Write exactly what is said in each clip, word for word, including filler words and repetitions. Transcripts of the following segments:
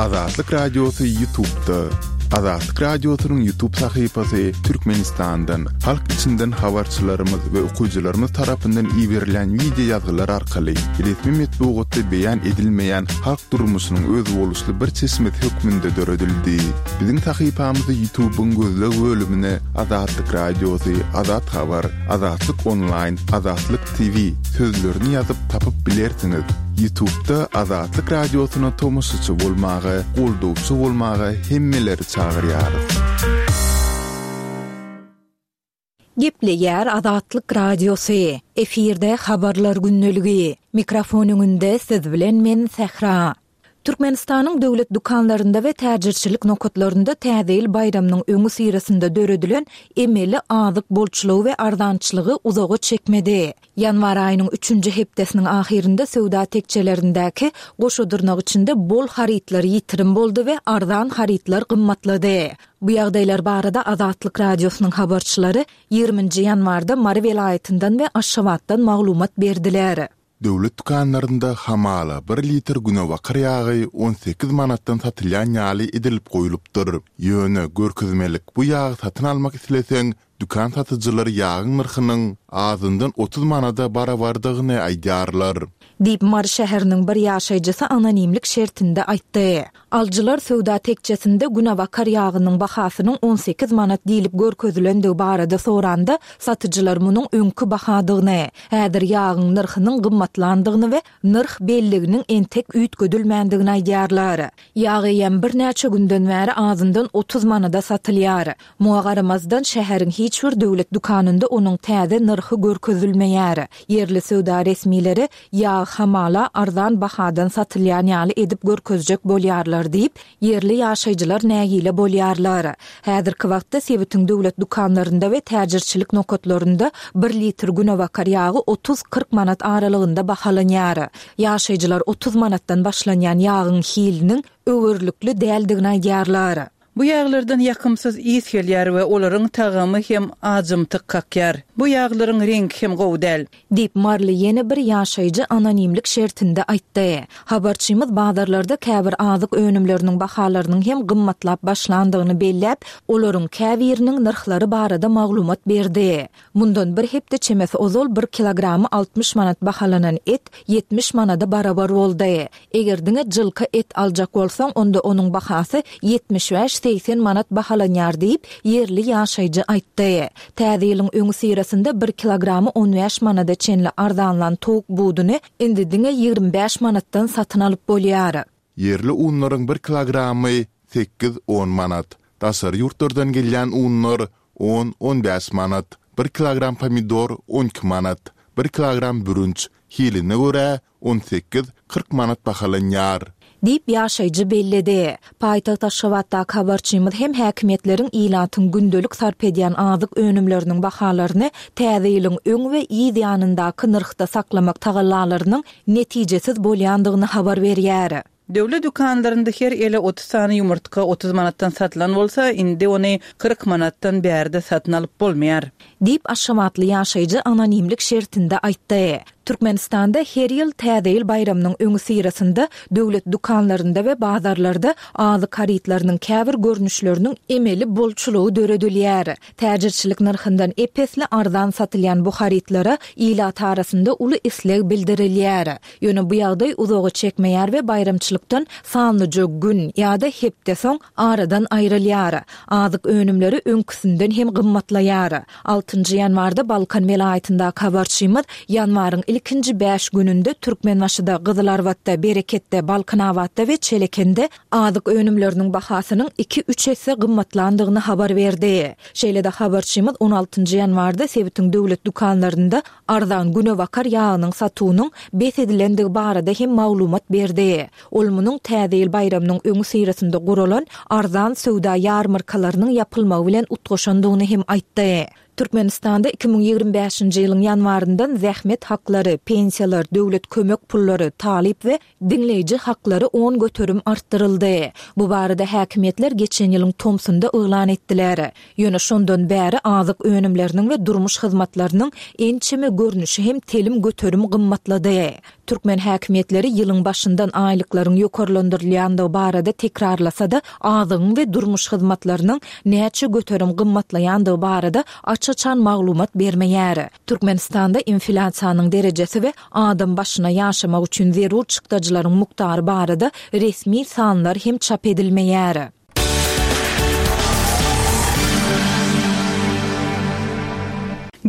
Azatlyk Radiosy YouTube'da. Azatlyk Radiosynyň YouTube sahypasy Türkmenistandan, halk içinden habarçylarymyz we okyjylarymyz tarapyndan iberilen wideo ýazgylar arkaly resmi metbugatda beýan edilmeýän halk durmuşynyň özboluşly bir çeşmesi hökmünde döredildi. Biziň sahypamyzy YouTube'yň gözleg bölümine Azatlyk Radiosy, Azat Habar, Azatlyk Online, Azatlyk T V sözlerini ýazyp tapyp bilersiňiz. YouTube'da Azatlyk Radiosyna tomaşaçy bolmaga, goldawçy bolmaga hemmeleri çagyrýarys. Gepleýär Azatlyk Radiosy. Efirde habarlar gündeligi. Mikrofon öňünde siz bilen men Sähra. Türkmenistanyň döwlet dükanlarynda we täjirçilik nokatlarynda Täze ýyl baýramynyň öňi syrasynda döredilen emeli azyk bolçulygy we arzançylygy uzaga çekmedi. Ýanwar aýynyň üçünji hepdesiniň ahyrynda söwda tekçelerindäki goşa dyrnak içinde bol harytlar ýitirim boldy we arzan harytlar gymmatlady. Bu ýagdaýlar barada Azatlyk Radiosynyň habarçylary ýigriminji ýanwarda Mary welaýatyndan we Aşgabatdan maglumat berdiler. Döwlet dükanlarynda hamala bir litr günebakar ýagy on sekiz manatdan satylýan ýaly edilip goýlupdyr. Ýöne görkezmelik bu ýagy satyn almak isleseň, dükan satyjylary ýagyň nyrhynyň azyndan otuz manada barabardygyny aýdýarlar. Diýip Mary şäheriniň bir ýaşaýjysy anonimlik şertinde aýtdy. Alyjylar söwda tekçesinde günebakar ýagynyň bahasynyň on sekiz manat diýlip görkezilendigi barada soranda, satyjylar munuň öňki bahadygyny, häzir ýagyň nyrhynyň gymmatlandygyny we nyrh belliginiň entek üýtgedilmändigini aýdýarlar. Ýag eýýäm birnäçe günden bäri azyndan otuz manada satylýar. Muňa garamazdan şäheriň hiç bir döwlet dükanynda onuň täze nyrhy görkezilmeýär. Ýerli söwda resmileri ýag hamala arzan bahadan satylýan ýaly edip görkezjek bolýarlar diýip, ýerli ýaşaýjylar nägile bolýarlar. Häzirki wagtda sebitiň döwlet dükanlarynda we täjirçilik nokatlarynda bir litr günebakar ýagy otuz kyrk manat aralygynda bahalanýar. Ýaşaýjylar otuz manatdan başlanýan ýagyň hiliniň öwürlikli däldigini aýdýarlar. Bu ýaglardan ýakymsyz ys gelýär we olaryň tagamy hem ajymtyk kakýar. Bu ýaglaryň reňki hem gowy däl. Diýip Marly ýene bir ýaşaýjy anonimlik şertinde aýtdy. Habarçymyz bazarlarda käbir azyk önümleriniň bahalarynyň hem gymmatlap başlandygyny belläp, olaryň käbiriniň nyrhlary barada maglumat berdi. Mundan bir hepde çemesi ozal bir kilogramy altmyş manat bahalanan et ýetmiş manada barabar boldy. Eger diňe jylka et aljak bolsaň, onda onuň bahasy ýetmiş bäş segsen manat bahalanýar diýip, ýerli ýaşaýjy aýtdy. Täze ýylyň öňi syrasynda bir kilogramy on bäş manada çenli arzanlan towuk buduny indi diňe ýigrimi bäş manatdan satyn alyp bolýar. Ýerli unlaryň bir kilogramy sekiz on manat, daşary ýurtlardan gelýän unlar on on bäş manat, bir kilogram pomidor on iki manat, bir kilogram bürünç hiline görä on sekiz kyrk manat bahalanýar. Diýip ýaşaýjy belledi. Paýtagt Aşgabatdaky habarçymyz hem häkimiýetleriň ilatyň gündelik sarp edýän azyk önümleriniň bahalaryny täze ýylyň öň we yz ýanyndaky nyrhda saklamak tagallalarynyň netijesiz bolýandygyny habar berýär. Döwlet dükanlarynda her ele otuz sany ýumurtga otuz manatdan satylan bolsa, indi ony kyrk manatdan bärde satyn alyp bolmaýar. Diýip Aşgabatly ýaşaýjy anonimlik şertinde aýtdy. Türkmenistanda her ýyl Täze ýyl baýramynyň öňi syrasynda döwlet dükanlarynda we bazarlarda azyk harytlarynyň käbir görnüşleriniň emeli bolçulygy döredilýär. Täjirçilik nyrhyndan epesli arzan satylýan bu harytlara ilat arasynda uly isleg bildirilýär. Ýöne bu ýagdaý uzaga çekmeýär we baýramçylykdan sanlyja gün ýa-da hepde soň aradan aýrylýar. Azyk önümleri öňküsinden hem gymmatlaýar. Altynjy ýanwarda Balkan welaýatyndaky habarçymyz ýanwaryň ilkinji bäş gününde Türkmenbaşyda, Gyzylarbatda, Bereketde, Balkanabatda we Çelekende azyk önümleriniň bahasynyň iki-üç esse gymmatlandygyny habar berdi. Şeýle-de habarçymyz on altynjy ýanwarda sebitiň döwlet dükanlarynda arzan günebakar ýagynyň satuwynyň bes edilendigi barada hem maglumat berdi. Ol munuň Täze ýyl baýramynyň öňi syrasynda guralan arzan söwda ýarmarkalarynyň ýapylmagy bilen utgaşandygyny hem aýtdy. Türkmenistanda iki müň ýigrimi bäşinji ýylyň ýanwaryndan zähmet haklary, pensiýalar, döwlet kömek pullary, talyp we diňleýji haklary on göterim artdyryldy. Bu barada häkimiýetler geçen ýylyň tomsunda yglan etdiler. Ýöne şondan bäri azyk önümleriniň we durmuş hyzmatlarynyň ençeme görnüşi hem telim göterim gymmatlady. Türkmen häkimiýetleri ýylyň başyndan aýlyklaryň ýokarlandyrylýandygy barada tekrarlasa-da, azygyň we durmuş hyzmatlarynyň näçe göterim gymmatlaýandygy barada aç-açan maglumat bermeýär. Türkmenistanda inflýasiýanyň derejesi we adam başyna ýaşamak üçin zerur çykdajylaryň mukdary barada resmi sanlar hem çap edilmeýär.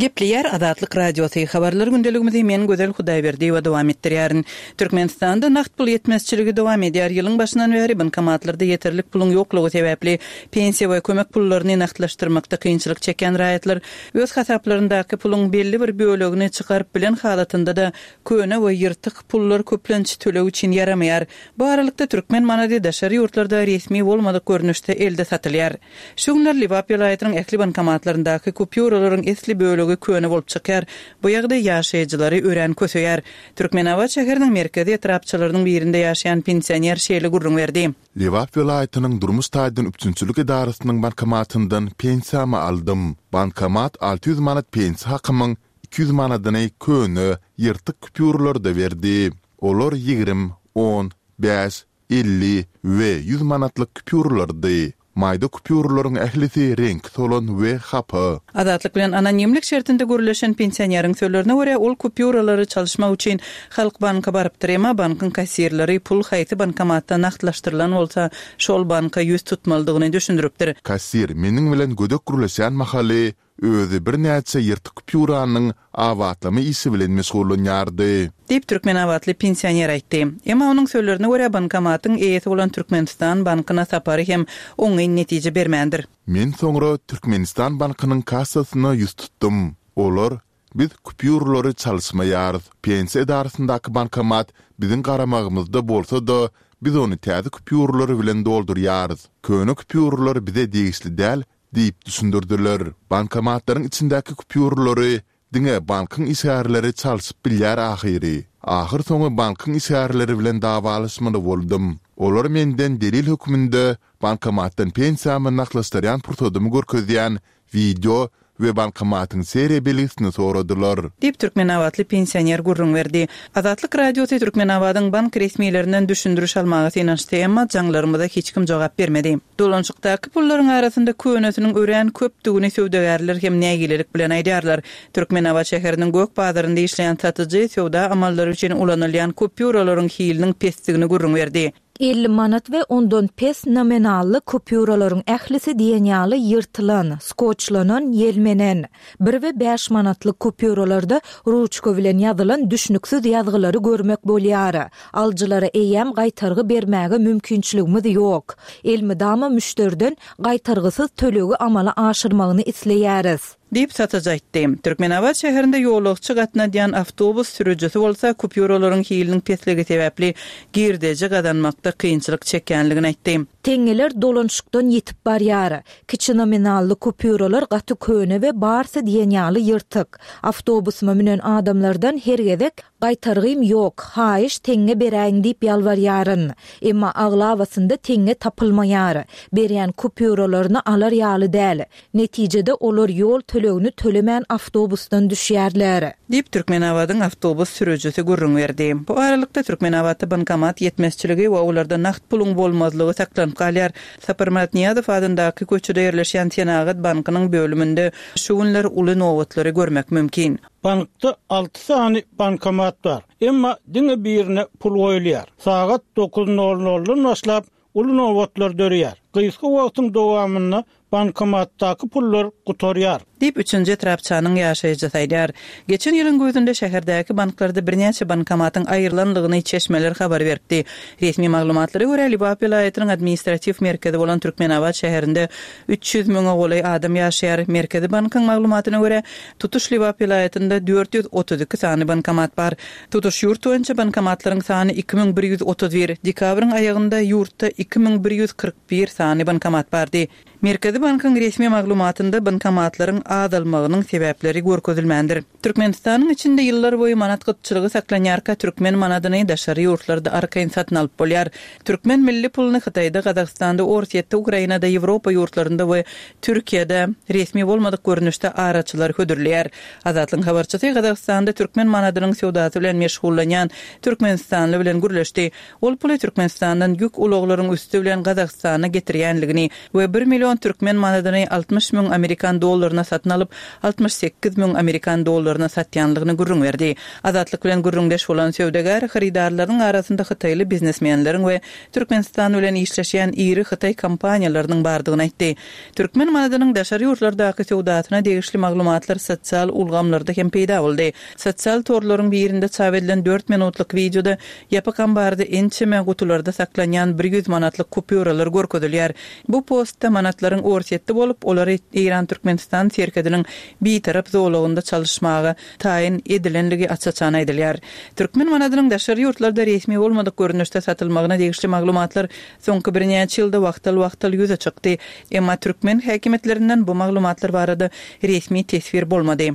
Gepleýär Azatlyk Radiosy habarlar gündeligimizi men Gözel Hudaýberdiýewa dowam etdirýärin. Türkmenistanda nagt pul ýetmezçiligi dowam edýär. Ýylyň başyndan bäri bankomatlarda ýeterlik puluň ýoklugy sebäpli pensiýa we kömek pullaryny nagtlaşdyrmakda kynçylyk çekýän raýatlar öz hasaplaryndaky puluň belli bir bölegini çykaryp bilen halatynda-da köne we ýyrtyk pullar köplenç töleg üçin ýaramaýar. Bu aralykda türkmen manady daşary ýurtlarda resmi bolmadyk görnüşde elde satylýar. Şu günler Lebap welaýatynyň ähli bankomatlaryndaky kupýuralaryň esli bölegi köne bolup çykýar. Bu ýagdaý ýaşaýjylary örän köseýär. Türkmenabat şäheriniň merkezi etrapçalarynyň birinde ýaşaýan pensioner şeýle gürrüň berdi. Lebap welaýatynyň durmuş taýdan üpjünçilik edarasynyň bankomatyndan pensiýamy aldym. Bankomat alty ýüz manat pensiýa hakymyň iki ýüz manadyny köne, ýyrtyk kupýuralarda berdi. Olar ýigrimi, on, bäş, elli we ýüz manatlyk kupýuralardy. Maýda kupýuralaryň ählisi reňki solan we hapa. Azatlyk bilen anonimlik şertinde gürleşen pensioneriň sözlerine görä, ol kupýuralary çalyşmak üçin Halk banka barypdyr, emma bankyň kassirleri pul haýsy bankomatda nagtlaşdyrylan bolsa, şol banka ýüz tutmalydygyny düşündiripdir. Kassir meniň bilen gödek gürleşen mahaly özi birnäçe ýyrtyk kupýuranyň abatlama işi bilen meşgullanýardy. Diýip Türkmenabatly pensioner aýtdy. Emma onuň sözlerine görä bankomatyň eýesi bolan Türkmenistan bankyna sapary hem oňyn netije bermändir. Men soňra Türkmenistan bankynyň kassasyna ýüz tutdum. Olar biz kupýuralary çalyşmaýarys. Pensiýa edarasyndaky bankomat biziň garamagymyzda bolsa-da, biz ony täze kupýuralar bilen doldurýarys. Köne kupýuralar bize degişli däl diýip düşündirdiler. Bankomatlaryň içindäki kupýuralary diňe bankyň işgärleri çalşyp bilýär ahyry. Ahyr soňy bankyň işgärleri bilen dawalaşmaly boldum. Olar menden delil hökmünde bankomatdan pensiýamy nagtlaşdyrýan pursadymy görkezýän wideo we bankomatyň seriýa belgisini soradylar. Diýip Türkmenabatly pensioner gürrüň berdi. Azatlyk Radiosy Türkmenabadyň bank resmilerinden düşündiriş almaga synanyşdy, emma jaňlarymyza hiç kim jogap bermedi. Dolanşykdaky pullaryň arasynda könesiniň örän köpdügini söwdagärler hem nägilelik bilen aýdýarlar. Türkmenabat şäheriniň gök bazarynda işleýän satyjy söwda amallary üçin ulanylýan kupýuralaryň hiliniň pesdigini gürrüň berdi. Elli manat we ondan pes nominally kupýuralaryň ählisi diýen ýaly ýyrtylan, skoçlanan, ýelmenen. Bir we bäş manatlyk kupýuralarda ruçka bilen ýazylan düşnüksiz ýazgylary görmek bolýar. Alyjylara eýýäm gaýtargy bermäge mümkinçiligimiz ýok. Elmydama müşderiden gaýtargysyz tölegi amala aşyrmagyny isleýäris. Diýip satyjy aýtdy. Türkmenabat şäherinde ýolagçy gatnadýan awtobus sürüjisi bolsa kupýuralaryň hiliniň pesligi sebäpli girdeji gazanmakda kynçylyk çekýänligini aýtdy. Teňňeler dolanşykdan ýetip barýar. Kiçi nominally kupýuralar gaty köne we barsy diýen ýaly ýyrtyk. Awtobusyma münen adamlardan her gezek gaýtargym ýok, haýyş teňňe beräýiň diýip ýalbarýaryn. Emma aglabasynda teňňe tapylmaýar. Berýän kupýuralaryny alar ýaly däl. Netijede olar ýol tölegini tölemän awtobusdan düşýärler. Diýip Türkmenabadyň awtobus sürüjisi gürrüň berdi. Bu aralykda Türkmenabatda bankomat ýetmezçiligi we olarda nagt puluň bolmazlygy saklanyp galýar. Saparmyrat Nyýazow adyndaky köçede ýerleşýän Senagat bankynyň bölüminde şu günler uly nobatlary görmek mümkin. Bankda alty sany bankomat bar. Emma diňe birine pul goýulýar. Sagat dokuz nol noldan başlap uly nobatlar dörýär. Gysga wagtyň dowamynda bankomatdaky pullar gutarýar. Diýip üçünji etrapçanyň ýaşaýjysy aýdýar. Geçen ýylyň güýzünde şäherdäki banklarda birnäçe bankomatyň aýrylanlygyny çeşmeler habar beripdi. Resmi maglumatlara görä Lebap welaýatynyň administratiw merkezi bolan Türkmenabat şäherinde üç ýüz müňe golaý adam ýaşaýar. Merkezi bankyň maglumatyna görä tutuş Lebap welaýatynda dört ýüz otuz iki sany bankomat bar. Tutuş ýurt boýunça bankomatlaryň sany iki müň bir ýüz otuz bir. Dekabryň aýagynda ýurtda iki müň bir ýüz kyrk bir sany bankomat bardy. Merkezi bankyň resmi maglumatynda bankomatlaryň azalmagynyň sebäpleri görkezilmändir. Türkmenistanyň içinde ýyllar boýy manat gytçylygy saklanýarka türkmen manadyny daşary ýurtlarda arkaýyn satyn alyp bolýar. Türkmen milli puluny Hytaýda, Gazagystanda, Orsýetde, Ukrainada, Ýewropa ýurtlarynda we Türkiýede resmi bolmadyk görnüşde araçylar hödürleýär. Azatlygyň habarçysy Gazagystanda türkmen manadynyň söwdasy bilen meşgullanýan Türkmenistanly bilen gürleşdi. Ol puly Türkmenistandan ýük ulaglaryň üsti bilen Gazagystana getirýänligini we bir million türkmen manadyny altmyş müň amerikan dollaryna satyn alyp, altmyş sekiz müň amerikan dollaryna satýanlygyny gürrüň berdi. Azatlyk bilen gürrüňdeş bolan söwdagär hyrydarlaryň arasynda hytaýly biznesmenleriň we Türkmenistan bilen işleşýän iri hytaý kompaniýalarynyň bardygyny aýtdy. Türkmen manadynyň daşary ýurtlardaky söwdasyna degişli maglumatlar sosial ulgamlarda hem peýda boldy. Sosial torlaryň birinde çap edilen dört minutlyk wideoda ýapyk ambarda ençeme gutularda saklanýan bir ýüz manatlyk kupýuralar görkezilýär. Bu postda manatlaryň Orsýetde bolup, olary Eýran-Türkmenistan serhediniň bitarap zolagynda çalyşmaga taýyn edilenligi aç-açan aýdylýar. Türkmen manadynyň daşary ýurtlarda resmi bolmadyk görnüşde satylmagyna degişli maglumatlar soňky birnäçe ýylda wagtal-wagtal ýüze çykdy. Emma türkmen häkimiýetlerinden bu maglumatlar barada resmi teswir bolmady.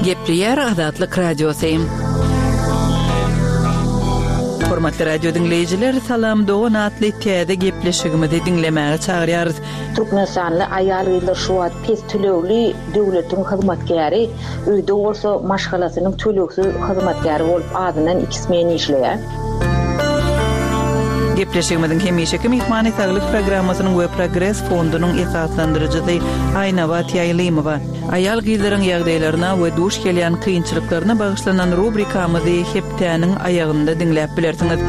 Gepleýär Azatlyk Radiosy. Hormatly radio diňleýjiler, Salam Dogan atly täze gepleşigimizi diňlemäge çagyrýarys. Türkmenistanly aýal-gyzlar şu wagt pes tölegli döwletiň hyzmatkäri, öýde bolsa maşgalasynyň tölegsiz hyzmatkäri bolup azyndan iki smen işleýär. Gepleşigimiziň hemişeki myhmany Saglyk programmasynyň we Progres fondunyň esaslandyryjysy Aýnabat Ýaýlymowa. Aýal gyzlaryň ýagdaýlaryna we duş gelýän kynçylyklaryna bagyşlanan rubrikamyzy hepdäniň aýagynda diňläp bilersiňiz.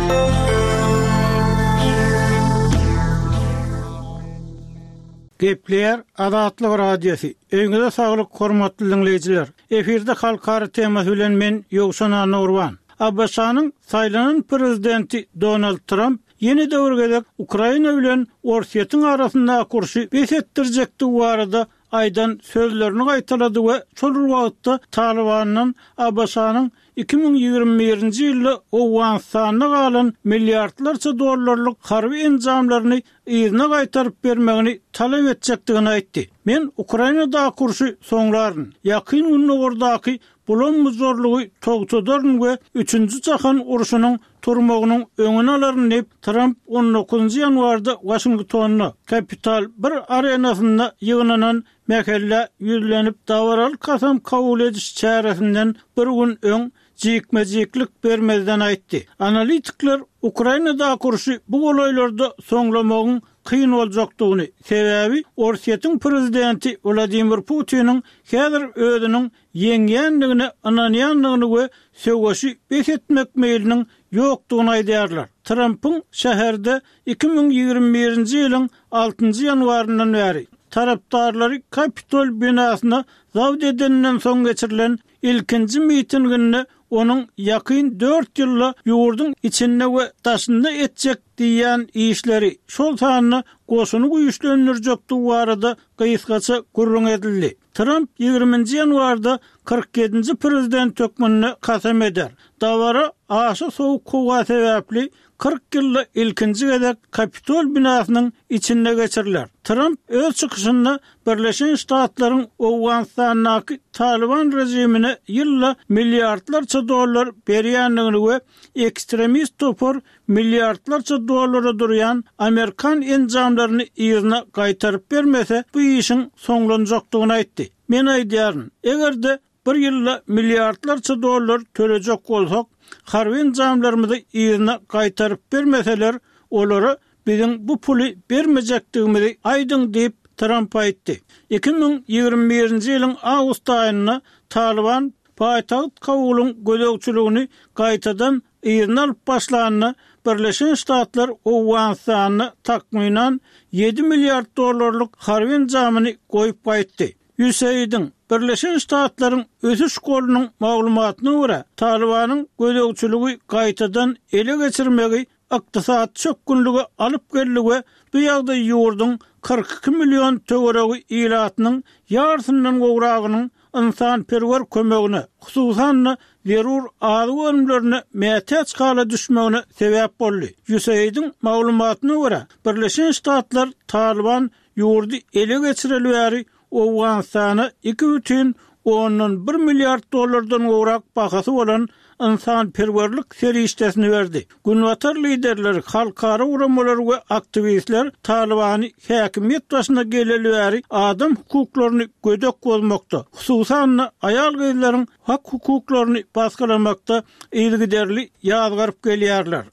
Gepleýär Azatlyk Radiosy. Öýüňize saglyk hormatly diňleýjiler. Efirde halkara temasy bilen men Ýowşan Annaurban. ABŞ-nyň saýlanan prezidenti Donald Trump ýene döwür gezek Ukraina bilen Orsýetiň arasyndaky urşy bes etdirjekdigi barada aýdan sözlerini gaýtalady we şol wagtda Talibandan ABŞ-nyň iki müň ýigrimi birinji ýylda Owganystanda galan milliardlarça dollarlyk harby enjamlaryny yzyna gaýtaryp bermegini talap etjekdigini aýtdy. Men Ukrainadaky urşy soňlaryn, ýakyn Gündogardaky bulam-buzarlygy togtadaryn we üçünji jahan urşunyň turmagynyň öňüni alaryn diýip Trump on dokuzynjy ýanwarda Waşingtonda Capital bir arenasynda ýygnanan mähellä ýüzlenip dabaraly kasam kabul ediş çäresinden bir gün öň jikme-jiklik bermezden aýtdy. Analitikler Ukrainadaky urşy bu golaýlarda soňlamagyň kyn boljakdygyny, sebäbi Orsýetiň prezidenti Wladimir Putiniň häzir özüniň ýeňýändigine ynanýandygyny we söweşi bes etmek meýliniň ýokdugyny aýdýarlar. Trumpyň şäherde iki müň ýigrimi birinji ýylyň altynjy ýanwaryndan bäri tarapdarlary Kapitol binasyna zabt edeninden soň geçirilen ilkinji mitinginde onuň ýakyn dört ýylda ýurduň içinde we daşynda etjek diýen işleri, şol sanda goşuny güýçlendirjekdigi barada gysgaça gürrüň edildi. Trump ýigriminji ýanwarda kyrk ýedinji prezident hökmünde kasam eder. Dabara aşa sowuk howa sebäpli kyrk ýylda ilkinji gezek Kapitol binasynyň içinde geçiriler. Trump öz çykyşynda Birleşen Ştatlaryň Owganystandaky Taliban rejimine ýylda milliardlarça dollar berýändigini we ekstremist topar milliardlarça dollara durýan Amerikan enjamlaryny yzyna gaýtaryp bermese, bu işiň soňlanjakdygyny aýtdy. Men aýdýaryn, eger-de bir ýylda milliardlarça dollar tölejek bolsak, harby enjamlarymyzy yzyna gaýtaryp bermeseler, olara biziň bu puly bermejekdigimizi aýdyň diýip Trump aýtdy. iki müň ýigrimi birinji ýylyň awgust aýynda Taliban paýtagt Kabulyň gözegçiligini gaýtadan yzyna alyp başlanda Birleşen Ştatlar Owganystanda takmynan ýedi milliard dollarlyk harby enjamyny goýup gaýtdy. USAID-iň Birleşen Ştatlaryň ösüş golunyň maglumatyna görä, Talibanyň gözegçiligi gaýtadan ele geçirmegi ykdysady çökgünlige alyp geldi we bu ýagdaý ýurduň kyrk iki million töweregi ilatynyň ýarysyndan gowragynyň ynsanperwer kömegine, hususan-da zerur azyk önümlerine mätäç hala düşmegine sebäp boldy. USAID-iň maglumatyna görä, Birleşen Ştatlar Talyban ýurdy ele geçireli bäri Owganystana iki bütin ondan bir milliard dollardan gowrak bahasy bolan ynsanperwerlik serişdesini berdi. Günbatar liderleri, halkara guramalary we aktiwistler Talybany häkimiýet başyna geleli bäri adam hukuklaryny gödek bozmakda, hususan-da aýal-gyzlaryň hak-hukuklaryny basgylamakda yzygiderli ýazgaryp gelýärler.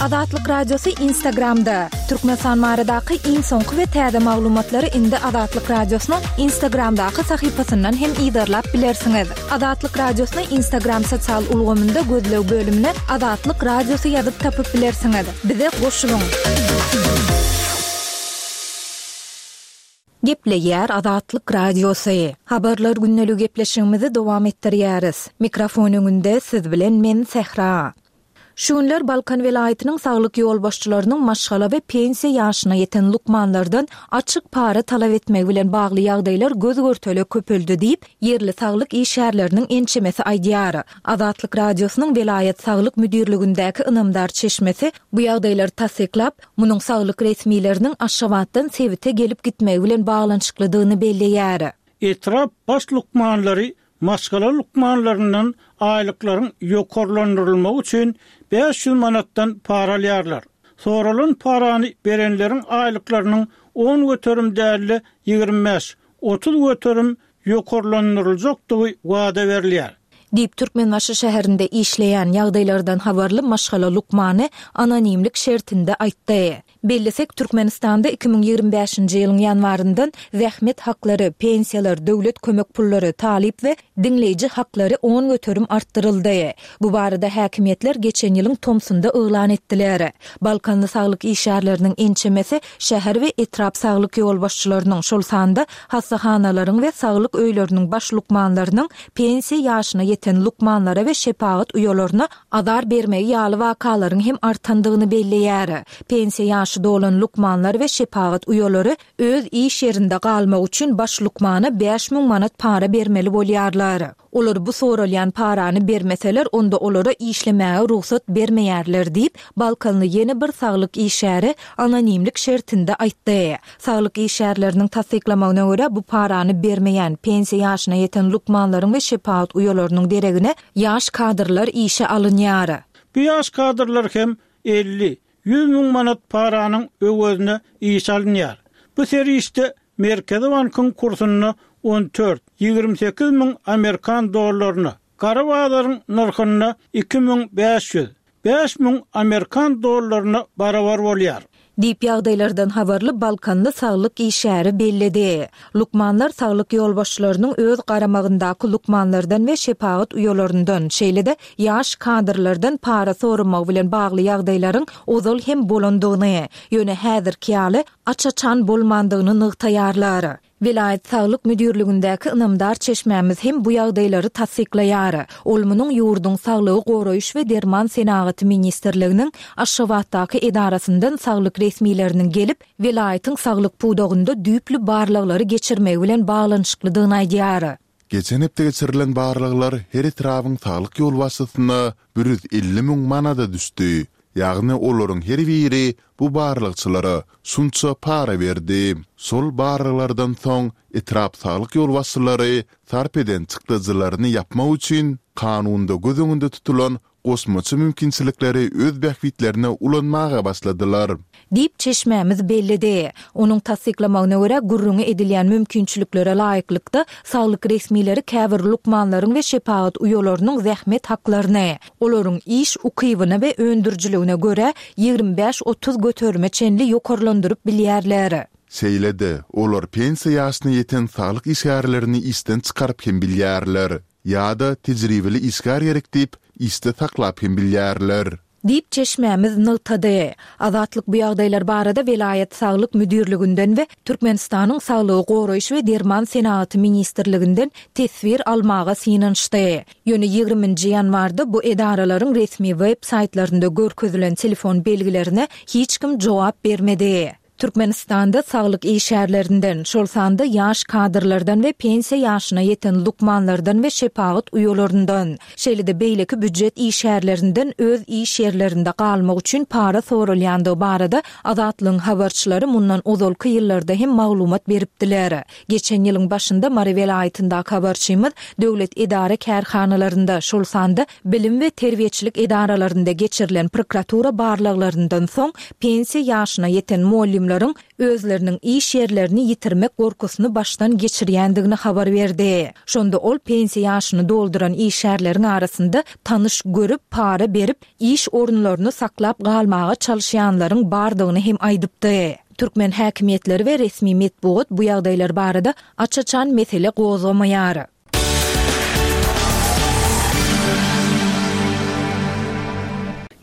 Azatlyk Radiosy Instagramda, Türkmenistan baradaky iň soňky we täze maglumatlary indi Azatlyk Radiosynyň Instagramdaky sahypasyndan hem yzarlap bilersiňiz. Azatlyk Radiosyny Instagram sosial ulgamynda gözleg bölümine Azatlyk Radiosy ýazyp tapyp bilersiňiz. Bize goşulyň! Gepleýär Azatlyk Radiosy. Habarlar gündeligi gepleşigimizi dowam etdirýäris. Mikrofon öňünde siz bilen men Sähra. Şu günler Balkan welaýatynyň saglyk ýolbaşçylarynyň maşgala we pensiýa ýaşyna ýeten lukmanlardan açyk para talap etmegi bilen bagly ýagdaýlar göz-görtele köpeldi diýip, ýerli saglyk işgärleriniň ençemesi aýdýar. Azatlyk Radiosynyň welaýat saglyk müdirligindäki ynamdar çeşmesi bu ýagdaýlary tassyklap, munuň saglyk resmileriniň Aşgabatdan sebite gelip gitmegi bilen baglanyşyklydygyny belleýär. Etrap baş lukmanlary maşgala lukmanlaryndan aýlyklaryň ýokarlandyrylmagy üçin bäş ýüz manatdan para alýarlar. Soralan parany berenleriň aýlyklarynyň on göterim däl-de ýigrimi bäş, otuz göterim ýokarlandyryljakdygy wada berilýär. Diýip, Türkmenbaşy şäherinde işleýän, ýagdaýlardan habarly maşgala lukmany anonimlik şertinde aýtdy. Bellesek, Türkmenistanda iki müň ýigrimi bäşinji ýylyň ýanwaryndan zähmet haklary, pensiýalar, döwlet kömek pullary, talyp we diňleýji haklary on göterim artdyryldy. Bu barada häkimiýetler geçen ýylyň tomsunda yglan etdiler. Balkanly saglyk işgärleriniň ençemesi şäher we etrap saglyk ýolbaşçylarynyň, şol sanda hassahanalaryň we saglyk öýleriniň baş lukmanlarynyň pensiýa ýaşyna ýeten lukmanlara we şepagat uýalaryna azar bermegi ýaly wakalaryň hem artandygyny belleýär. Pensiýa ýaşy dolan lukmanlar we şepagat uýalary öz iş ýerinde galmak üçin baş lukmana bäş müň manat para bermeli bolýarlar. Olar bu soralýan parany bermeseler, onda olara işlemäge rugsat bermeýärler diýip, Balkanly ýene bir saglyk işgäri anonimlik şertinde aýtdy. Saglyk işgärleriniň tassyklamagyna görä, bu parany bermeýän, pensiýa ýaşyna ýeten lukmanlaryň we şepagat uýalarynyň deregine ýaş kadrlar işe alynýar. Bu ýaş kadrlar hem elli, ýüz müň manat paranyň öwezine işe alynýar. Bu serişde Merkezi bankyň kursunda on dört, ýigrimi sekiz müň amerikan dollaryna, gara bazaryň nyrhynda iki müň bäş ýüz, bäş müň amerikan dollaryna barabar bolýar. Diýip ýagdaýlardan habarly Balkanly saglyk işgäri belledi. Lukmanlar saglyk ýolbaşçylarynyň öz garamagyndaky lukmanlardan we şepagat uýalaryndan, şeýle-de ýaş kadrlardan para soramagy bilen bagly ýagdaýlaryň ozal hem bolandygyny, ýöne häzirki ýaly aç-açan bolmandygyny nygtaýarlar. Welaýat saglyk müdirligindäki ynamdar çeşmämiz hem bu ýagdaýlary tassyklaýar. Ol munuň ýurduň Saglygy goraýyş we derman senagaty ministrliginiň Aşgabatdaky edarasyndan saglyk resmileriniň gelip, welaýatyň saglyk pudagynda düýpli barlaglary geçirmegi bilen baglanyşyklydygyny aýdýar. Geçen hepde geçirilen barlaglar her etrabyň saglyk ýolbaşçysyna bir ýüz elli müň manada düşdi. Ýagny olaryň her biri bu barlagçylara şunça para berdi. Şol barlaglardan soň etrap saglyk ýolbaşçylary sarp eden çykdajylaryny ýapmak üçin kanunda göz öňünde tutulan goşmaça mümkinçilikleri öz bähbitlerine ulanmaga başladylar. Diýip çeşmämiz belledi. Onuň tassyklamagyna görä, gürrüňi edilýän mümkinçiliklere laýyklykda saglyk resmileri käbir lukmanlaryň we şepagat uýalarynyň zähmet haklaryny, olaryň iş ukybyna we öndürijiligine görä ýigrimi bäş-otuz göterime çenli ýokarlandyryp bilýärler. Şeýle-de, olar pensiýa ýaşyna ýeten saglyk işgärlerini işden çykaryp hem bilýärler. Ýa-da tejribeli işgär gerek diýip, işde saklap hem bilýärler. Diýip çeşmämiz nygtady. Azatlyk bu ýagdaýlar barada welaýat saglyk müdirliginden we Türkmenistanyň Saglygy goraýyş we derman senagaty ministrliginden teswir almaga synanyşdy. Ýöne ýigriminji ýanwarda bu edaralaryň resmi web saýtlarynda görkezilen telefon belgilerine hiç kim jogap bermedi. Türkmenistanda saglyk işgärlerinden, şol sanda ýaş kadrlardan we pensiýa ýaşyna ýeten lukmanlardan we şepagat uýalaryndan, şeýle-de beýleki býujet işgärlerinden öz iş ýerlerinde galmak üçin para soralýandygy barada Azatlygyň habarçylary mundan ozalky ýyllarda hem maglumat beripdiler. Geçen ýylyň başynda Mary welaýatyndaky habarçymyz döwlet edara-kärhanalarynda, şol sanda bilim we terbiýeçilik edaralarynda geçirilen prokuratura barlaglaryndan soň pensiýa ýaşyna ýeten mugallymlaryň özleriniň iş ýerlerini ýitirmek gorkusyny başdan geçirýändigini habar berdi. Şonda ol pensiýa ýaşyny dolduran işgärleriň arasynda tanyş görüp, para berip, iş orunlaryny saklap galmaga çalyşýanlaryň bardygyny hem aýdypdy. Türkmen häkimiýetleri we resmi metbugat bu ýagdaýlar barada aç-açan mesele gozgamaýar.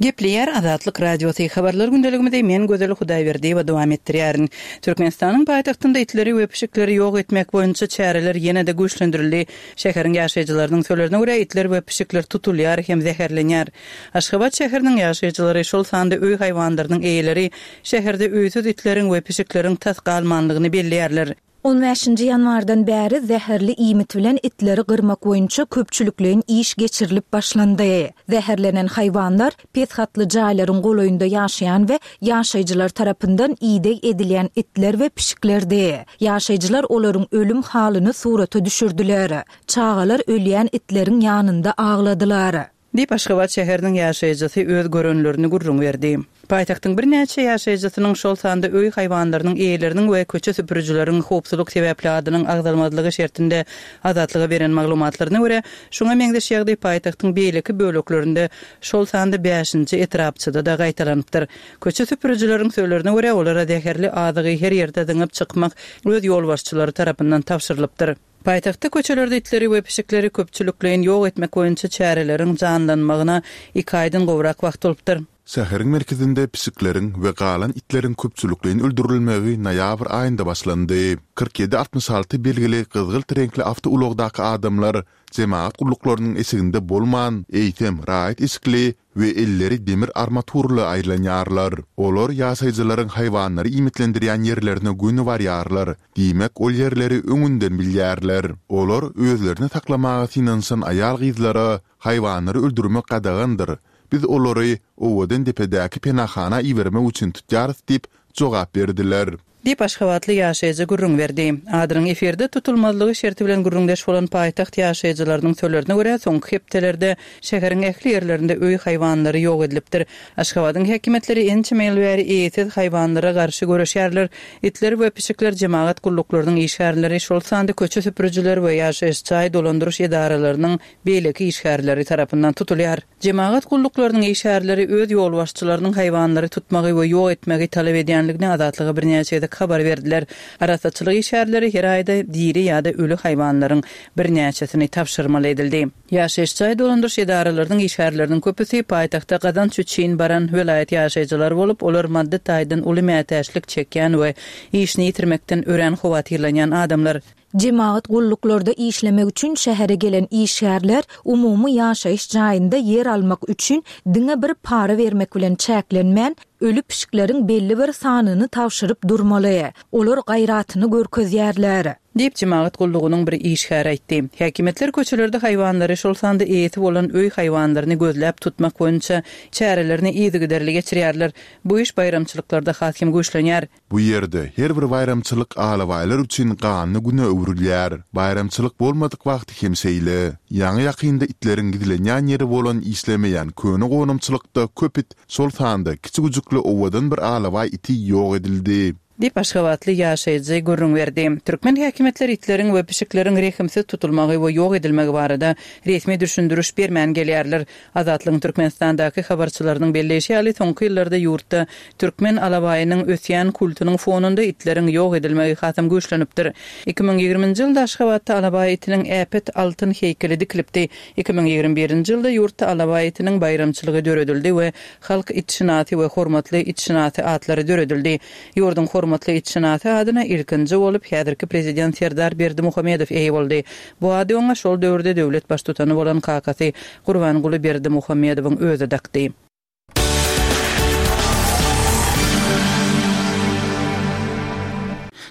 Gepleýär Azatlyk Radiosy. Habarlar gündeligimizi men Gözel Hudaýberdiýewa dowam etdirýärin. Türkmenistanyň paýtagtynda itleri we pişikleri ýok etmek boýunça çäreler ýene-de güýçlendirildi. Şäheriň ýaşaýjylarynyň sözlerine görä, itler we pişikler tutulýar hem zäherlenýär. Aşgabat şäheriniň ýaşaýjylary, şol sanda öý haýwanlarynyň eýeleri şäherde öýsüz itleriň we pişikleriň tas galmanlygyny belleýärler. On bäşinji ýanwardan bäri zäherli iýmit bilen itleri gyrmak boýunça köpçülikleýin iş geçirilip başlandy. Zäherlenen haýwanlar pes gatly jaýlaryň golaýynda ýaşaýan we ýaşaýjylar tarapyndan ideg edilýän itler we pişiklerdi. Ýaşaýjylar olaryň ölüm halyny surata düşürdiler. Çagalar ölýän itleriň ýanynda agladylar. Diýip, Aşgabat şäheriniň ýaşaýjysy öz görenlerini gürrüň berdi. Paýtagtyň birnäçe ýaşaýjysynyň, şol sanda öý haýwanlarynyň eýeleriniň we köçe süpürijileriň howpsuzlyk sebäpli adynyň agzalmazlygy şertinde Azatlyga beren maglumatlaryna görä, şuňa meňzeş ýagdaý paýtagtyň beýleki böleklerinde, şol sanda bäşinji etrapçada-da gaýtalanypdyr. Köçe süpürijileriň sözlerine görä, olara zäherli azygy her ýerde zyňyp çykmak öz ýolbaşçylary tarapyndan tabşyrylypdyr. Paýtagtda köçelerde itleri we pişikleri köpçülikleýin ýok etmek boýunça çäreleriň janlanmagyna iki aýdan gowrak wagt bolupdyr. Şäheriň merkezinde pişikleriň we galan itleriň köpçülikleýin öldürilmegi noýabr aýynda başlandy. Kyrk ýedi altmyş alty belgili gyzgylt reňkli awtoulagdaky adamlar jemagat gulluklarynyň eşiginde bolman, eýsem, raýat eşikli we elleri demir armaturly aýlanýarlar. Olar ýaşaýjylaryň haýwanlary iýmitlendirýän ýerlerine göni barýarlar, diýmek, ol ýerleri öňünden bilýärler. Olar özlerini saklamaga synanyşan aýal-gyzlara haýwanlary öldürmek gadagandyr, biz olary owadan depedäki penahana ibermek üçin tutýarys diýip jogap berdiler. Diýip, aşgabatly ýaşaýjy gürrüň berdi. Adynyň efirde tutulmazlygy şerti bilen gürrüňdeş bolan paýtagt ýaşaýjylarynyň sözlerine görä, soňky hepdelerde şäheriň ähli ýerlerinde öý haýwanlary ýok edilipdir. Aşgabadyň häkimiýetleri ençeme ýyl bäri eýesiz haýwanlara garşy göreşýärler. Itler we pişikler jemagat gulluklarynyň işgärleri, şol sanda köçe süpürijiler we ýaşaýyş jaý dolandyryş edaralarynyň beýleki işgärleri tarapyndan tutulýar. Jemagat gulluklarynyň işgärleri öz ýolbaşçylarynyň haýwanlary tutmagy we ýok etmegi talap edýänligini Azatlyga birnäçe gezek habar berdiler. Arassaçylyk işgärleri her aýda diri ýa-da öli haýwanlaryň birnäçesini tabşyrmaly edildi. Ýaşaýyş jaý dolandyryş edaralarynyň işgärleriniň köpüsi paýtagta gazanç üçin baran welaýat ýaşaýjylary bolup, olar maddy taýdan uly mätäçlik çekýän we işini ýitirmekden örän howatyrlanýan adamlar. Jemagat gulluklarda işlemek üçin şähere gelen işgärler umumy ýaşaýyş jaýynda ýer almak üçin diňe bir para bermek bilen çäklenmän, öli pişikleriň belli bir sanyny tabşyryp durmaly. Olar gaýratyny görkezýärler. Diýip, jemagat gullugynyň bir işgäri aýtdy. Häkimiýetler köçelerde haýwanlary, şol sanda eýesi bolan öý haýwanlaryny gözläp tutmak boýunça çärelerini yzygiderli geçirýärler. Bu iş baýramçylyklarda has hem güýçlenýär. Bu ýerde her bir baýramçylyk alabaýlar üçin ganly güne öwrülýär. Baýramçylyk bolmadyk wagty hem şeýle. Ýaňy-ýakynda itleriň gizlenýän ýeri bolan işlemeýän köne gonamçylykda köp it, şol sanda kiçi güjükli owadan bir alabaý iti ýok edildi. Diýip, aşgabatly ýaşaýjy gürrüň berdi. Türkmen häkimiýetleri itleriň we pişikleriň rehimsiz tutulmagy we ýok edilmegi barada resmi düşündiriş bermän gelýärler. Azatlygyň Türkmenistandaky habarçylarynyň belleýşi ýaly, soňky ýyllarda ýurtda türkmen alabaýynyň ösýän kultunyň fonunda itleriň ýok edilmegi hasam güýçlenipdir. Iki müň ýigriminji ýylda Aşgabatda alabaý itiniň äpet altyn heýkeli dikilipdi. Iki müň ýigrimi birinji ýylda ýurtda alabaý itiniň baýramçylygy döredildi we Halk itşynasy we Hormatly itşynasy atlary döredildi. Ýurduň Hormatly itşynasy adyna ilkinji bolup häzirki Prezident Serdar Berdimuhamedow eýe boldy. Bu ady oňa şol döwürde döwlet Baştutany bolan kakasy Gurbanguly Berdimuhamedowyň özi dakdy.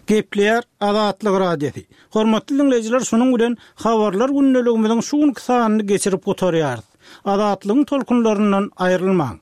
Gepleýär Azatlyk Radiosy. Hormatly diňleýjiler, şunuň bilen Habarlar gündeligimiziň şu günki sanyny geçirip gutarýarys. Azatlygyň tolkunlaryndan aýrylmaň.